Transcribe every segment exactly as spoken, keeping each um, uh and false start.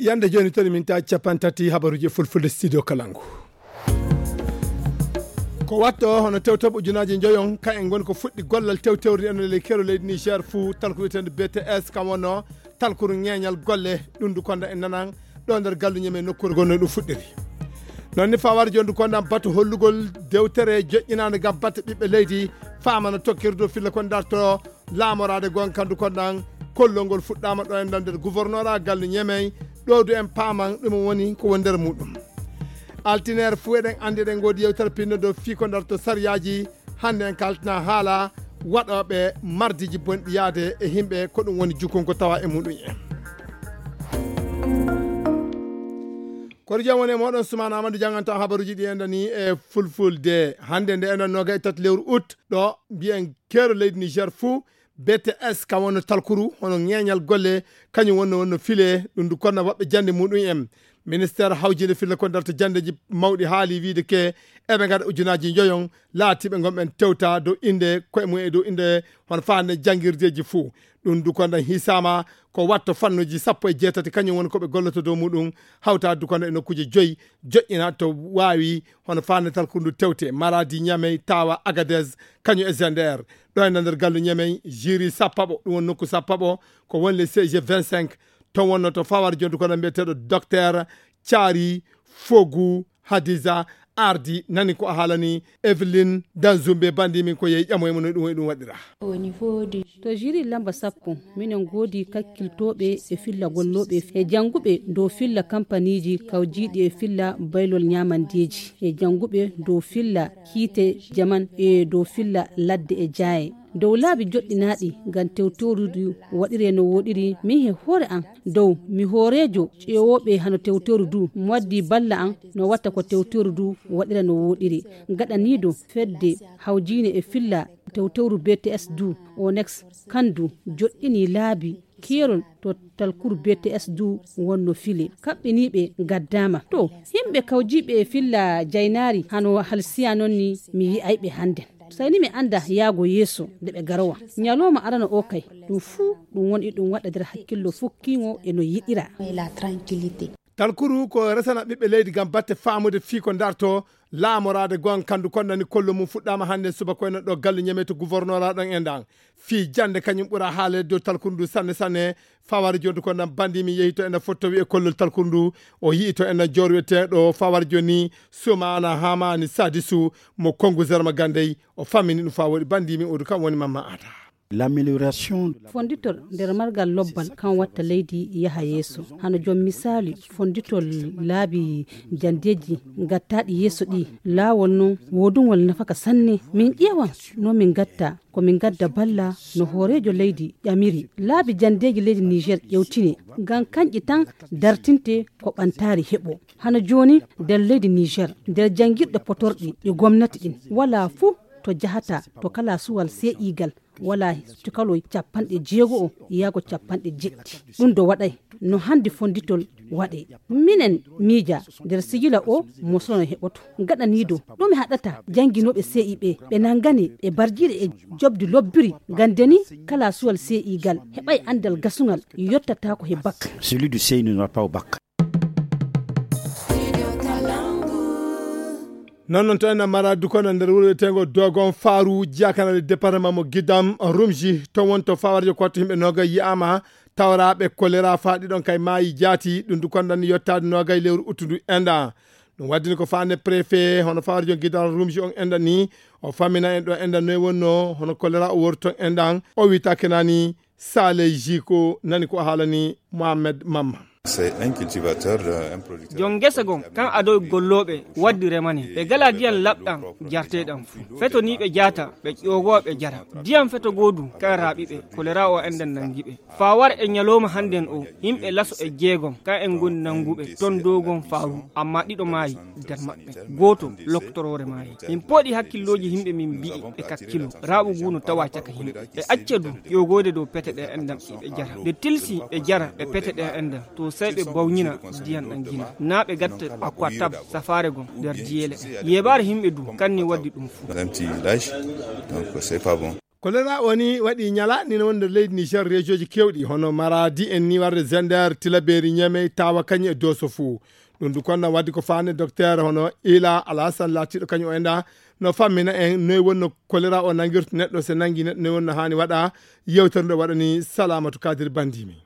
Yande jooni toon min ta capanɗe tati habaruuji e fulfulde studio Kalangu. Ko watto hono tewtoɓe ujunaaji njoyon, ka en ngoni ko fuɗɗi gollal tewtewri en e ley keerol leydi Niger fuu, talku wiyeteeɗo B T S, kam wonno talkuru ñeeñal golle, ɗum du konda en nanan ɗo nder gallu ñeme nokkuure gonno ɗum fuɗɗiri. Noon ni fawar jondu konda batu hollugol dewtere joƴƴinaande ngam batte ɓiɓɓe leydi, faamana tokkirdu filla ko darto laamoraade gonkandu kondan kollol ngol fuɗɗaama ɗo en ɗan nder gouvernorat gallu ñemey, ɗo du en paaman ɗum woni ko woni nder muɗum. Altineer fuu eɗen anndi eɗen ngoodi yewtere pinno dow fii ko darto sariyaaji. Hannde en kaltina haala waɗooɓe mardiiji bonɗi yaade e yimɓe, ko ɗum woni jukunko tawa e muɗum en. Koɗo jam woni e moɗon Sumaana Amadou janganta habaruuji ɗi en ɗani e fulfulde. Hannde nde en ɗan noga e tati lewru août ɗo mbiyen keero leydi Niger fuu, B T S, kam wonno talkuru hono ñeeñal golle, kañum wonno wonno file, ɗum du konna woɓɓe jannde muɗum en. Ministeer hawjinde filla ko darta janndeeji mawɗi haali wiide ke eɓe ngaɗa ujunaaji njoyon laatiiɓe ngon ɓen tewta dow innde koye mum e dow innde hono faande janngirdeeji fuu. Ɗum du konna hisaama ko watto fannuuji sappo e jeetati kañum woni ko ɓe golloto dow muɗum, hawta du konna e nokkuuje joyi joƴƴina to waawi hono faande talkuru ndu tewte Maradi, Ñamey, Tawa, Agadez, kañum e Zender. Ɗo e nder gallu Ñamey, jiri sappaɓo, ɗum woni nokku sappaɓo, ko woni le C G vingt-cinq, to wonno to fawar jondu kono mbiyeteeɗo docteur Thiari Fogu Hadiza Ardi, nani ko a haalani Evelyn Danzumbe, bandi min ko yehi ƴamoye mo no ɗum, ɗum waɗira. To jiri lamba sappo, minen ngoodi kakkiltooɓe e filla gollooɓe e jannguɓe dow filla kampaniiji kawjiiɗi e filla baylol ñaamandeeji e jannguɓe dow filla kiite jaman e dow filla ladde e jaaye. Dow laabi joɗɗinaaɗi ngam tewtewrudu waɗiree no wooɗiri, min he hoore am, dow mi hooreejo ƴeewooɓe hano tewtewru du, mi waddi balla am no watta ko tewtewru du waɗira no wooɗiri. Gaɗaniido fedde hawjiine e filla tewtewru B T S du, Onex, kandu joɗɗini laabi keerol to talkuru B T S du wonno file. Kaɓɓiniiɓe gaddaama. To, yimɓe kawjiiɓe e filla jaynaari hano halsiya noon ni mi yi'ay ɓe hannden. Sayni mi annda yaago yeeso nde ɓe garowa. Ñalooma arano o kay, ɗum fuu ɗum woni ɗum waɗa nder hakkillo fukkiŋo e no yiɗira. Talkuru ko resana ɓiɓɓe leydi ngam batte faamude fii ko darto laamoraade gon kandu kon nani kollo mum fuɗɗaama hannde subaka koyno ɗo galle ñameto gouvernorat ɗon e ndan. Fii jannde kañum ɓura haaleede dow talkuru ndu sanne sanne. Fawari jontu ko nan bandi mi yehi to ena fottowi e kollol talkuru ndu. O yi'i to ena joor wiyeteeɗo fawari joni Sumaana Hamani Sadisu mo Kongu Zerma Gandey. O fammini ɗum faa woɗi bandi mi odu kam woni Mamma Ada. L'amélioration. Fonditol nder margal lobbal kan watta leydi yaha yeeso. Hano jom misaali fonditol laabi jandeeji gattaaɗi yeeso ɗi. Laawol non woodungol nafaka sanne. Min ƴeewan no min gatta ko min gadda balla no hooreejo leydi ƴamiri. Laabi jandeeji leydi Niger ƴewtine ngam kanƴi tan dartinte ko ɓantaari heɓo. Hano jooni nder leydi Niger, nder janngirɗe potorɗi ɗi gomnati ɗin, walaa fuu to jahata to kala suwal see'igal, walaa to kalo capanɗe jeego o yaago capanɗe jeɗɗi. Ɗum do waɗay no hannde fonditol waɗe. Minen miija nder sigila o mosolo no heɓoto. Gaɗaniido ɗume haɗata jannginooɓe C I ɓe, ɓe nanngane ɓe barjiɗe e jobdi lobbiri, ngam ndeni kala suwal C I gal heɓay anndal gasungal yottataako he bak. Celui du C I n'ira pas au bac. Non, non, to en mara dukono nder wuro wiyeteego Dogon Faru, Jakana, le département mo Gidam, Rumji, to won to fawarjo ko wattu yimɓe noga yi'ama, tawraaɓe kolera faa ɗiɗon kay maayi jaati, ɗum du kondan ni yottaade noga e lewru uttu ndu enɗan. Ɗum waddini ko faande préfet, hono fawarjo Gidam Rumji on enɗan ni, o famina en ɗo enɗan noy wonno, hono kolera o worton enɗan, o witake nani, Saleh Jiko nani ko haalani Mohamed Mamma. C'est un cultivateur, euh, un producteur. Jon ngesa gon kan adoy gollooɓe waddi remane ɓe gala diyan laɓɗan jarteɗan fu feto ni ɓe jaata ɓe ƴogowa ɓe jara diyan feto goodu kan raaɓi ɓe kolera o enɗan nangi ɓe faa war e ñalooma hannden o yimɓe laso e jeegom kan en ngoni nanguɓe ton dogon faaru amma ɗiɗo maayi nder maɓɓe gooto loktoroore maayi min pooɗi hakkillooji yimɓe min mbi'i ɓe kakkilo raaɓu ngu no tawa caka yimɓe ɓe acca du ƴogoyde dow pete ɗe enɗan ɓe jara ɓe tilsi ɓe jara ɓe pete ɗe enɗan to sey ɓe bawñina diyan ɗan gina naa ɓe gatta aquatab safaare gon nder diyeele ɗen yeebaare yimɓe du kanni waddi ɗum fuu. Un petit lâche, donc c'est pas bon. Kolera o ni waɗi ñalaaɗe ni wonde leydi Niger, rejooji keewɗi hono Maradi en ni warde Zender, Tilaberi, Ñamey, Tawa, Kañi e Doso fuu. Ɗum du konno waddi ko faande docteur hono Ila Alasan laatiiɗo kañum o enda no fammina en noy wonno kolera o nangirta neɗɗo, se nangi neɗɗo noy wonno haani waɗa. Yewtere nde waɗani Salamatu Kadir Bandimi.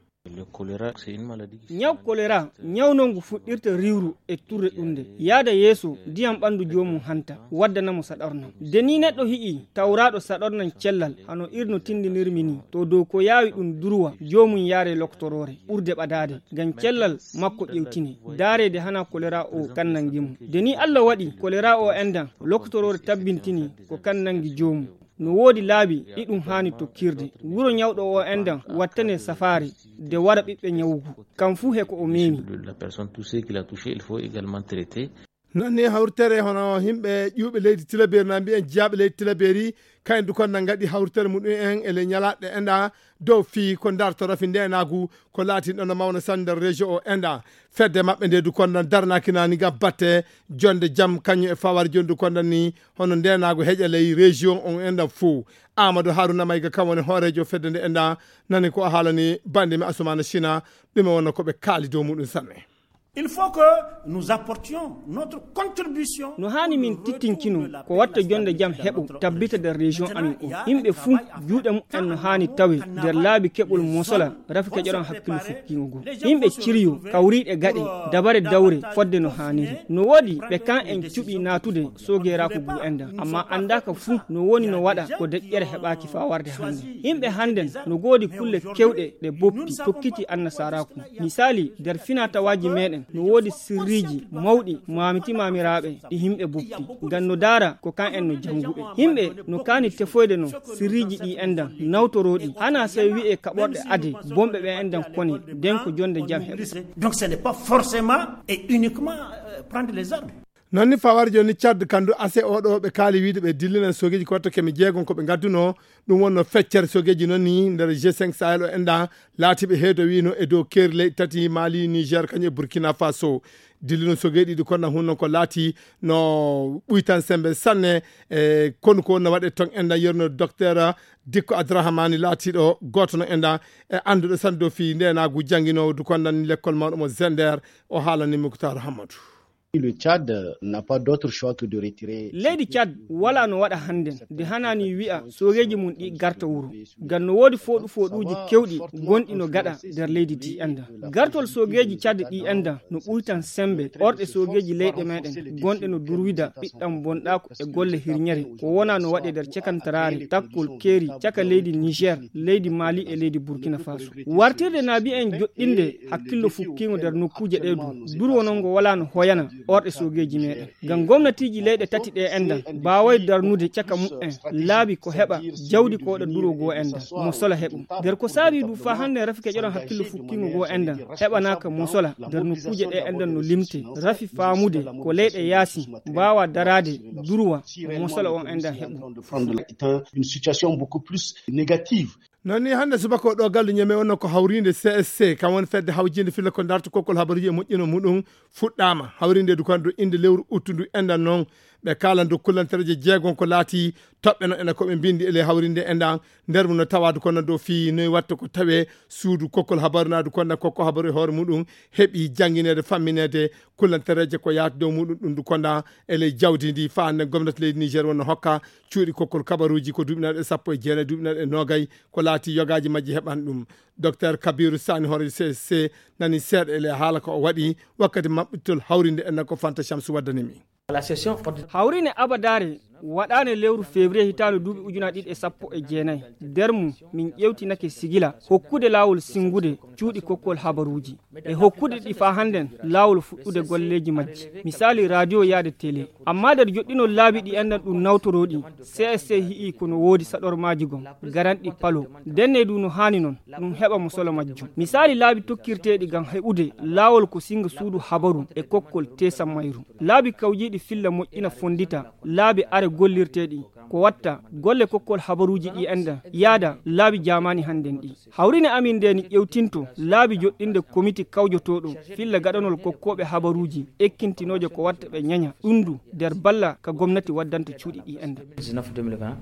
Ñaw kolera, ñaw non ngu fuɗɗirta riwru e turre ɗunde, yaada yeeso ndiyam ɓanndu joomum hanta, waddana mo saɗornam. Nde ni neɗɗo hi'i tawraaɗo saɗornam cellal, hano irno tindinirmi ni, to dow ko yaawi ɗum durwa, joomum yaare loktoroore, ɓurde ɓadaade, ngam cellal makko ƴewtine, daareede hana kolera o kan nangi mo. Nde ni Allah waɗi kolera o endan, loktoroore tabbintini ko kan nangi joomum. No woodi laabi ɗi ɗum haani tokkirde. Wuro ñawɗo o endan wattane safaare, de wara ɓiɓɓe ñawugu. Kam fuu he ko o meemi. La personne, tout ce qu'il a touché, il faut également traiter. Non ni hawritere hono himɓe ƴuuɓe leydi Tilaberi na mbiyen jiyaaɓe leydi Tilaberi, kayen du kon na ngaɗi hawritere muɗum en e ley ñalaaɗe enɗa dow fii ko darto rafi ndeenaagu ko laati ɗon no mawna sanne nder région o enɗa. Fedde maɓɓe nde du kon na darnaaki naani ngam batte jonde jam kañum e fawar jondu kon ni hono ndeenaagu heƴa ley région on enɗa fuu. Amadou Haruna Mayga kam woni hooreejo fedde nde enɗa, nani ko o haalani bande mi Asumana China, ɗume wonno ko ɓe kaali dow muɗum sanne. Il faut que nous apportions notre contribution. No haani min tittinkino ko watta jonde jam heɓo tabbita nder région amin o. Yimɓe fuu juuɗe muɓɓen no haani tawe nder laabi keɓol mosola rafi keƴoɗon hakkillo fukkiingo goo. Yimɓe ciriyo kawriiɗe gaɗe dabare dawre fodde no haaniri. No woodi ɓe kan en cuɓi naatude soogeeraaku ngu enɗan, amma anndaaka fuu no woni no waɗa ko deƴƴere heɓaaki faa warde hannden. Yimɓe hannden no goodi kulle kewɗe ɗe boppi tokkiti annasaraaku. Misaali, nder finaa-tawaaji meeɗen, no woodi sirriiji mawɗi maamiti maamiraaɓe ɗi yimɓe boppi, ngam no daara ko kan en no jannguɓe. Yimɓe no kaani tefoyde no sirriiji ɗi enɗan nawtorooɗi, hana sey wi'e kaɓorɗe ade, bonɓe ɓe enɗan kone, nden ko jonde jam heɓa. Donc ce n'est pas forcément et uniquement euh, prendre les armes. Non ni fawar jooni Tchad kandu ase oɗo ɓe kaali wiide ɓe dillinan sogeeji ko watta keme jeegom ko ɓe ngadduno. Ɗum wonno feccere sogeeji noon ni nder G cinq Sahel o enɗa laatiiɓe heedo wiino e dow keeri leyɗe tati Mali, Niger, kañum e Burkina Faso. Dillino sogeeji ɗiɗi kono hun noon ko laati no ɓuytan sembe sanne. E konu ko wonno waɗe ton enɗa yerno docteur Dikko Adrahamani laatiiɗo gooto no enɗa e annduɗo sanne dow fii ndeenaagu jannginoowo du kon nan lekkol mawɗo mo Zender. O haalani Muktar Hammadou. Le Tchad n'a pas d'autre choix que de retirer. Leydi Tchad wala no waɗa hannden nde hanaani wi'a sogeeji mum ɗi garta wuro. Ngam no woodi fooɗu fooɗuuji kewɗi gonɗi no gaɗa nder leydi ndi enɗan. Gartol sogeeji Tchad ɗi enɗan no ɓuytan sembe orɗe sogeeji leyɗe meeɗen gonɗe no durwida ɓiɗɗam bonɗaaku e golle hirñere ko wona no waɗe nder cekantaraare takkol keeri caka leydi Niger, leydi Mali e leydi Burkina Faso. Wartirde naabi en joɗɗinde hakkillo fukkiingo nder nokkuuje ɗee du, durwonol ngo wala no hoyana orɗe sogeeji meeɗen. Ngam gomnatiiji leyɗe tati ɗee enɗan mbaaway darnude caka muɓɓen laabi ko heɓa jawdi ko waɗa duro goo enɗan mo sola heɓum. Nder ko saabii du faa hannde rafi keƴoɗon hakkillo fukkiingo goo enɗan heɓanaaka mo sola nder nokkuuje ɗee enɗan no limte rafi faamude ko leyɗe yaasi mbaawa daraade durwa mo sola on enɗan heɓum. Une situation beaucoup plus négative. Non ni hannde subaka o ɗo gallu ñame wonno ko hawriinde C S C, kam woni fedde hawjiinde filla ko darta kokkol habaruuji e moƴƴino muɗum fuɗɗaama. Hawriinde du kan du innde lewru uttu ndu enɗan noon. Ɓe kaalan dow kullantereeje jeegom ko laati toɓɓe no ena ko ɓe mbindi e ley hawriinde enɗan. Nder mum no tawaadu kono dow fii noy watta ko tawee suudu kokkol habaru naadu kono kokko habaru e hoore muɗum heɓi janngineede fammineede kullantereeje ko yaati dow muɗum ɗum du konda e ley jawdi ndi faa hannde gomnati leydi Niger wonno hokka cuuɗi kokkol kabaruuji ko duuɓinaaɗe sappo e jeenayi duuɓinaaɗe noogay ko laati yogaaji majji heɓan ɗum. Docteur Kabiru Sani hoore C S C nani seeɗa e ley haala ko o waɗi wakkati maɓɓitol hawrinde en ko Fanta Shamsu waddani mi. Hawriine abadaare waɗaane lewru février hitaande duuɓi ujunaaji ɗiɗi e sappo e jeenayi. Nder mum min ƴeewtinake sigila hokkude laawol sinngude cuuɗi kokkol habaruuji e hokkude ɗi faa hannden laawol fuɗɗude golleeji majji, misaali radio yaade télé. Amma nder joɗɗinol laabi ɗi enɗan ɗum nawtorooɗi, C S C hi'i ko no woodi saɗormaaji gom garanɗi palo ndenne du no haani noon ɗum heɓa mo solo majjum. Misaali laabi tokkirteeɗi ngam heɓude laawol ko sinnga suudu habaru e kokkol teesan mayru. Laabi kawjiiɗi filla moƴƴina fonndita laabi are gollirteeɗi ko watta golle kokkol habaruuji ɗi enɗan yaada laabi jaamaani hannden ɗi. Hawriine amin nde ni ƴewtinto laabi joɗɗinde komiti kawjotooɗo filla gaɗanol kokkooɓe habaruuji ekkintinooje ko watta ɓe ñaña ɗum du nder balla ka gomnati waddanta cuuɗi ɗi enɗan.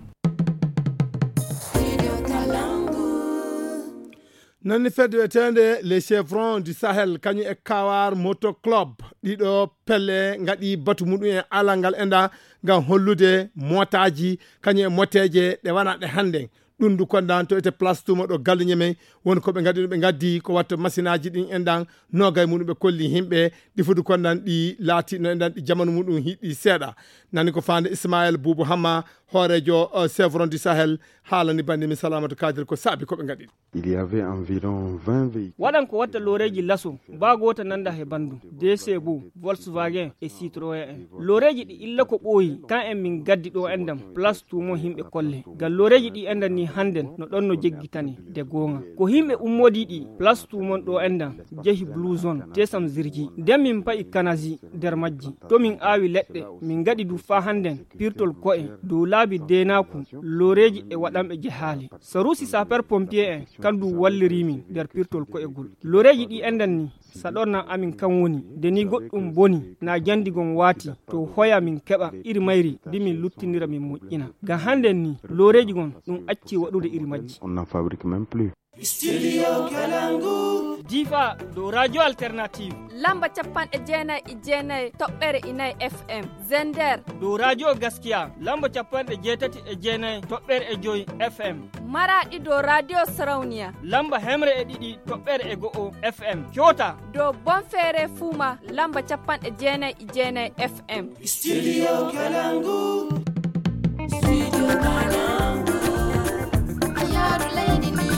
Nani fedde wiyeteende Les Chevrons du Sahel, kañum e Kawar Moto Club, ɗiɗo pelle ngaɗi batu muɗum e alal ngal enɗa ngam hollude motaaji kañum e moteeje ɗe wona ɗe hannden. Ɗum ndu kondan to ete place tumo ɗo Galle Ñemey, woni ko ɓe ngaɗi ɗum, ɓe ngaddi ko watta masinaaji ɗin enɗan, noogay muɗum ɓe kolli yimɓe, ɗi fudu kondan ɗi laati no enɗan ɗi jamanu muɗum hiɗi seeɗa. Nani ko faande Ismaël Boubou Hamma, hooreejo, eh, Chevron du Sahel, haalani bannde min Salamatu Kadir ko saabi ko ɓe ngaɗi. Il y avait environ vingt véhicules. Waɗan ko watta looreeji laso, baa goota nanda he banndum, D C bo, Volkswagen e Citroën en. Looreeji ɗi illa ko ɓooyi, kan en min gaddi ɗo enɗan, place tumo yimɓe kolle. Ngam looreeji ɗi enɗan ni hannden no ɗon no jeggitani, de goonga. Ko yimɓe ummodii ɗi, place tumon ɗo enɗan, jehi Blue Zone, tesam zirji. Nden min pa'i kanazi nder majji. To min aawi leɗɗe, min ngaɗi du faa hannden, pirtol ko'e, dow laabi deenaaku, looreeji e waɗanɓe jehaali. Saruusi sapeur pompier en, kan du walliri min nder pirtol ko'egol. Looreeji ɗi enɗan ni, saɗornan amin kan woni, de ni goɗɗum boni, na jandi gon waati, to hoya min keɓa iri mayri, di min luttinira min moƴƴina. Ngam hannden ni, looreeji gon ɗum acci waɗude iri majji. On n'en fabrique même plus. Studio Kalangu. Difa, dow Radio Alternative. Lamba capanɗe jeenayi e jeenayi toɓɓere inayi F M. Zender. Dow Radio Gaskiya, lamba capanɗe jeetati e jeenayi toɓɓere e joyi F M. Maraɗi dow Radio Sarauniya. Lamba hemre e ɗiɗi toɓɓere e go'o F M. Coota. Dow Bonfere Fuma, lamba capanɗe jeenayi e jeenayi F M. Studio Kalangu. Studio Kalangu. A yaaru leydi Niger.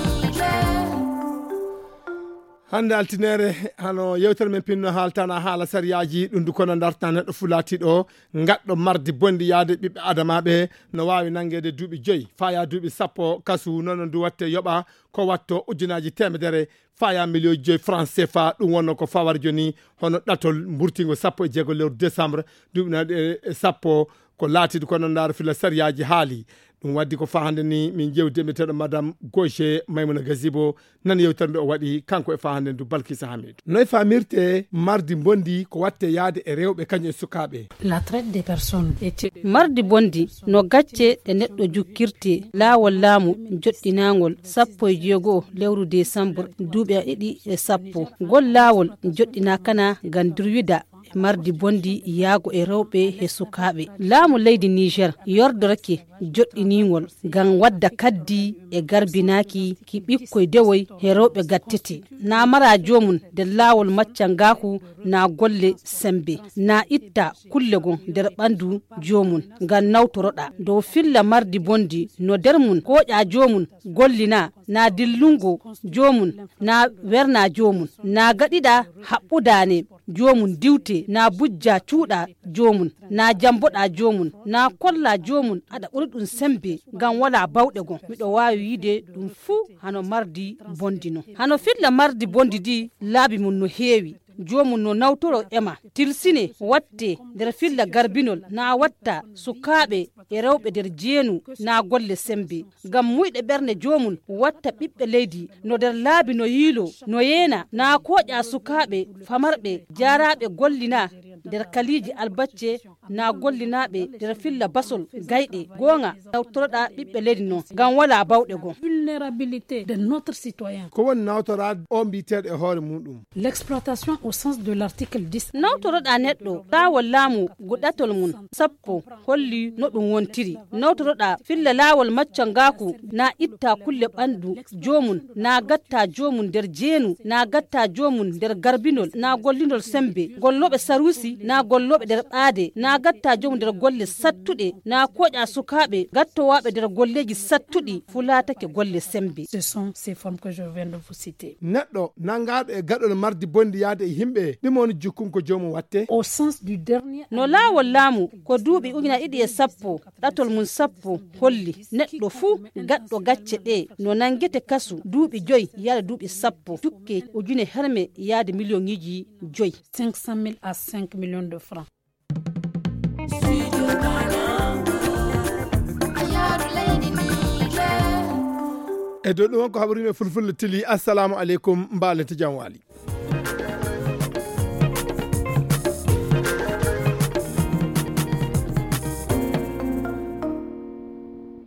Hannde altine, hano yewtere men pinno haaltana haala sariyaaji ɗum du kono darta neɗɗo fu laatiiɗo ngaɗɗo mardi bonndi yaade ɓiɓɓe adamaaɓe no waawi nanngeede duuɓi joyi, faya duuɓi sappo kasu, noon du watte yoɓa ko watto ujunaaji teemedere faya miliyoji joyi franc C F A. Ɗum wonno ko fawar joni hono ɗatol mburtingo sappo e jeego lewru décembre duuɓi naɗe e sappo. Ko laatiiɗo kono ndaaro fila sariyaaji haali. Ɗum waddi ko faa hannde ni min jewti e mbiyeteeɗo Madame Gaucher Maimouna Gazibo, nan yewtere nde o waɗi kanko e faa hannde ndu Balkisa Hamidu. Noy faamirte mardi mbondi ko watte yaade e rewɓe kañum e sukaaɓe? La traite des personnes est... Mardi bondi no gacce ɗe neɗɗo jukkirte laawol laamu joɗɗinaangol sappo e jeego lewru décembre duuɓi ɗiɗi e sappo. Ngol laawol joɗɗinaakana ngam durwida e mardi bondi yaago e rewɓe e sukaaɓe. Laamu leydi Niger yordorake joɗɗiningol ngam wadda kaddi e garbinaaki ki ɓikkoy dewoy e rewɓe gattete. Na mara joomum nder laawol maccangaaku na golle sembe. Na itta kulle gon nder ɓandu joomum ngam nawtoroɗa. Dow filla mardi bondi no nder mum koƴa joomum gollina, na dillungo joomum, na werna joomum, na gaɗiɗa haɓɓudaane joomum diwte, na bujja cuuɗa joomum, na jamboɗa joomum, na kolla joomum aɗa ɓuri ɗum sembe ngam wala bawɗe gon. Miɗo waawi wiide ɗum fuu hano mardi bondi non. Hano filla mardi bondi di laabi mum no heewi. Joomum no nawtoro ema. Tilsine watte nder filla garbinol, na watta sukaaɓe e rewɓe nder jeenu, na golle sembe. Ngam muyɗe ɓerne joomum watta ɓiɓɓe leydi no nder laabi no yiilo, no yeena, na kooƴa sukaaɓe famarɓe jaaraaɓe gollina nder kaliiji albacce, na gollinaaɓe nder filla basol gayɗe. Goonga, tawtoroɗa ɓiɓɓe leydi non, ngam wala bawɗe goo. Vulnérabilité de notre citoyen. Ko woni nawtoraade o mbiyeteeɗo e hoore muɗum? L'exploitation au sens de l'article dix. Nawtoroɗa neɗɗo, laawol laamu guɗatol mum sappo holli no ɗum wontiri. Nawtoroɗa filla laawol maccangaaku na itta kulle ɓandu joomum, na gatta joomum nder jeenu, na gatta joomum nder garbinol, na gollinol sembe, gollooɓe saruusi, na gollooɓe nder ɓaade, na gatta joomum nder golle sattuɗe, na kooƴa sukaaɓe gattowaaɓe nder golleeji sattuɗi, fu laatake golle sembe. Ce sont ces formes que je viens de vous citer. Neɗɗo nanngaaɗo e gaɗol mardi bondi yaade e yimɓe, ɗum woni jukkun ko joomum watte? Au sens du dernier... No laawol laamu ko duuɓi ujuna ɗiɗi e sappo, ɗatol mum sappo holli neɗɗo fuu gaɗɗo gacce ɗe no nanngete kasu duuɓi joyi yaade duuɓi sappo, jukke ujune herme yaade miliyoŋiiji joyi. Cinq cent mille à cinq millions de francs. E dow ɗum on ko haɓri men fulfulde tili. Assalamu aleykum, mbaalete jam waali.